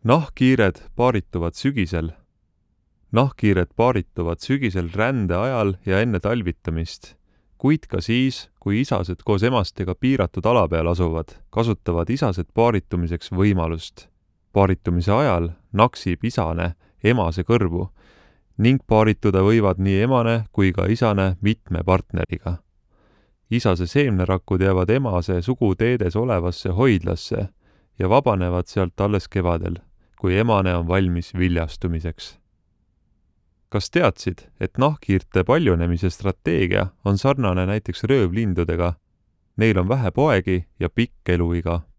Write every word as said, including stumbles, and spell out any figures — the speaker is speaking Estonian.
Nahkhiired paarituvad sügisel. Nahkhiired paarituvad sügisel rände ajal ja enne talvitamist, kuid ka siis, kui isased koos emastega piiratud ala peal asuvad, kasutavad isased paaritumiseks võimalust. Paaritumise ajal naksib isane emase kõrvu ning paarituda võivad nii emane kui ka isane mitme partneriga. Isase seemnerakud jäävad emase suguteedes olevasse hoidlasse ja vabanevad sealt alles kevadel, kui emane on valmis viljastumiseks. Kas teadsid, et nahkhiirte paljunemise strateegia on sarnane näiteks röövlindudega? Neil on vähe poegi ja pikk eluiga.